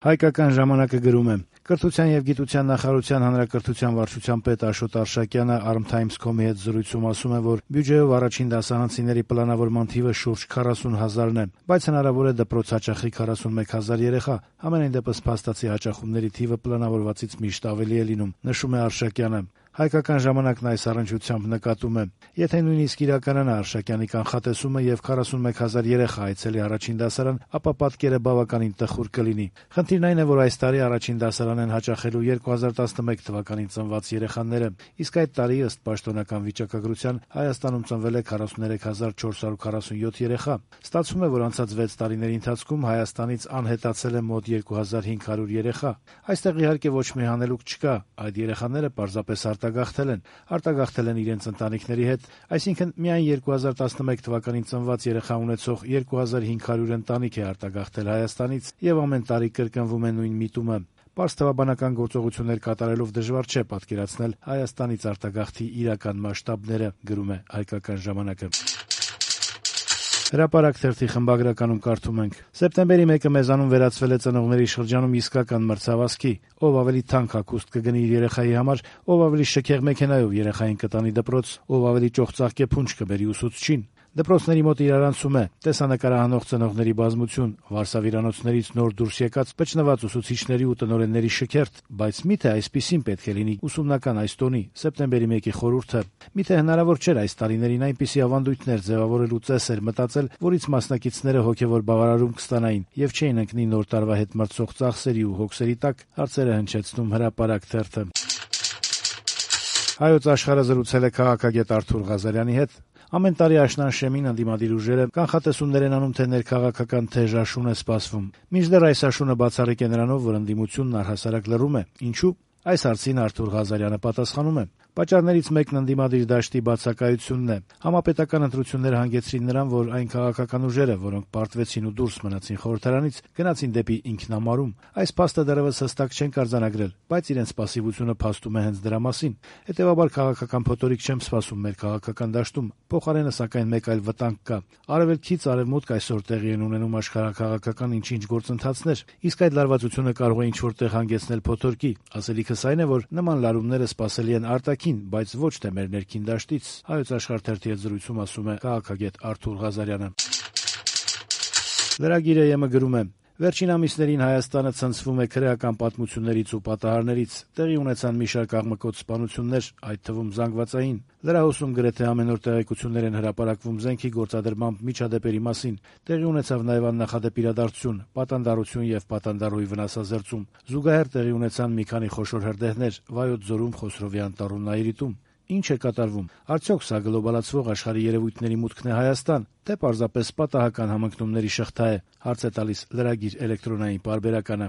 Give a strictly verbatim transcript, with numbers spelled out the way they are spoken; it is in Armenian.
Հայկական ժամանակը գրում է. Կրթության եւ գիտության նախարարության հանրակրթության վարչության պետ Աշոտ Արշակյանը Arm Times dot com-ի հետ զրույցում ասում է, որ բյուջեով առաջին դասարանցիների պլանավորման թիվը շուրջ քառասուն հազարն է, բայց հնարավոր է դպրոց հաճախի քառասունմեկ հազար երեխա, համենայն դեպս փաստացի հաճախումների թիվը պլանավորվածից միշտ ավելի է լինում, նշում է Արշակյանը։ Հայկական ժամանակն այս առնչությամբ նկատում է. եթե նույնիսկ իրականանա Արշակյանի կանխատեսումը եւ քառասունմեկ հազար երեխա այցելի առաջին դասարան, ապա պատկերը բավականին տխուր կլինի։ Խնդիրն այն է, որ այս տարի առաջին դասարան են հաճախելու երկու հազար տասնմեկ թվականին ծնված երեխաները, իսկ այդ տարի ըստ պաշտոնական վիճակագրության Հայաստանում ծնվել է քառասուներեք հազար չորս հարյուր քառասունյոթ երեխա։ Ստացվում է, որ անցած վեց տարիների ընթացքում Հայաստանից անհետացել է մոտ երկու հազար հինգ հարյուր երեխա։ Այստեղ իհարկե ոչ մի հանելուկ չկա, այդ երեխաները պարզապես արտագաղթել են, արտագաղթել են իրենց ընտանիքների հետ, այսինքն միայն երկու հազար տասնմեկ թվականին ծնված երեխա ունեցող երկու հազար հինգ հարյուր ընտանիք է արտագաղթել Հայաստանից եւ ամեն տարի կրկնվում է նույն միտումը։ Պարզ թվաբանական գործողություններ կատարելով դժվար չէ պատկերացնել Հայաստանից արտագաղթի իրական մասշտաբները, գրում է Հայկական ժամանակը։ Հրապարակ թերթի խմբագրականում կարդում ենք. Սեպտեմբերի մեկը մեզանում վերածվել է ծնողների շրջանում իսկական մրցավազքի, ով ավելի թանկ հագուստ կգնի իր երեխայի համար, ով ավելի շքեղ մեքենայով երեխային կտանի դպրոց, ով ավելի ճոխծաղկե փունջ կբերի ուսուցչին։ Դպրոցների մոտ իրարանցում է տեսանկարահանող ծնողների բազմություն, վարսավիրանոցներից նոր դուրս եկած պճնված ուսուցիչների ու տնօրենների շքերթ, բայց միթե այսպիսին պետք է լինի ուսումնական այս տոնի սեպտեմբերի մեկի խորհուրդը։ Միթե հնարավոր չէր այս տարիներին այնպիսի ավանդույթներ ձևավորելու ծեսեր մտածել, որից մասնակիցները հոգևոր բավարարում կստանային եւ չէին ընկնի նոր տարվա հետ մրցող ծախսերի ու հոգսերի տակ, հարցերը հնչեցնում Հրապարակ թերթը։ Հայոց աշխարհը զրուցել է քաղաքագետ Արթուր Ղազարյանի հետ։ Ամեն տարի աշնան շեմին ընդդիմադիր ուժերը կանխատեսումներ են անում, թե ներքաղաքական թեժ աշուն է սպասվում։ Մինչդեռ այս աշունը բացառիկ է նրանով, որ ընդդիմությունն առհասարակ լռում է։ Ինչու՞։ Այս հարցին Արթուր Ղազարյանը պատասխանում է. Պատճառներից մեկն ընդդիմադիր դաշտի բացակայությունն է։ Համապետական ընտրությունները հանգեցրին նրան, որ այն քաղաքական ուժերը, որոնք պարտվեցին ու դուրս մնացին խորհրդարանից, գնացին դեպի ինքնամարում։ Այս փաստը դեռևս հստակ չեն կարձանագրել, բայց իրենց պասիվությունը փաստում է հենց դրա մասին։ Հետևաբար քաղաքական փոթորիկ չեմ սպասում մեր քաղաքական դաշտում։ Փոխարենը սակայն մեկ այլ վտանգ կա։ Արևելքից արևմուտք այսօր տեղի են ունենում աշխարհաքաղաքական ինչ-ինչ գործընթացներ, իսկ այդ լարվածությունը կարող է ինչ-որ տեղ հանգեցնել փոթորկի։ Ասելիքս այն է, որ նման լարումները սպասելի են արտաքին, բայց ոչ թե մեր ներքին դաշտից, Հայոց աշխարհ թերթի հետ զրույցում ասում է քաղաքագետ Արթուր Ղազարյանը։ Լրագիրը ԵՄ գրում է. Վերջին ամիսներին Հայաստանը ցնցվում է քրեական պատմություններից ու պատահարներից, տեղի ունեցան մի շարք աղմկոտ սպանություններ, այդ թվում զանգվածային։ Լրահոսում գրեթե ամենօր տեղեկություններ են հրապարակվում զենքի գործադրմամբ միջադեպերի մասին։ Տեղի ունեցավ նաև աննախադեպ իրադարձություն, պատանդառություն եւ պատանդառուի վնասազերծում։ Զուգահեռ տեղի ունեցան մի քանի խոշոր հրդեհներ Վայոց ձորում, Խոսրովի անտառում, Նայիրիտում։ Ինչ է կատարվում։ Արդյոք սա գլոբալացվող աշխարհի երևույթների մուտքն է Հայաստան, թե պարզապես պատահական համընկնումների շղթա է, հարց է տալիս լրագիր էլեկտրոնային պարբերականը։